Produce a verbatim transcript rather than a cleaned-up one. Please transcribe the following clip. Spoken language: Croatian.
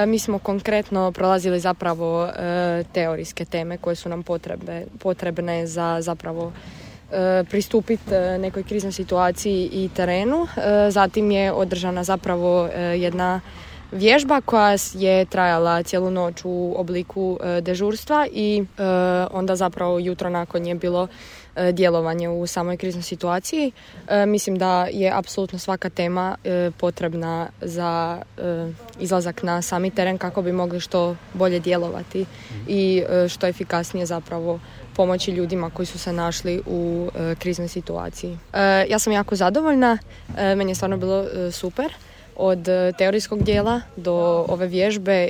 Mi smo konkretno prolazili zapravo teorijske teme koje su nam potrebe, potrebne za zapravo pristupiti nekoj kriznoj situaciji i terenu. Zatim je održana zapravo jedna vježba koja je trajala cijelu noć u obliku dežurstva i onda zapravo jutro nakon je bilo djelovanje u samoj kriznoj situaciji. Mislim da je apsolutno svaka tema potrebna za izlazak na sami teren kako bi mogli što bolje djelovati i što efikasnije zapravo pomoći ljudima koji su se našli u kriznoj situaciji. Ja sam jako zadovoljna, meni je stvarno bilo super. Od teorijskog dijela do ove vježbe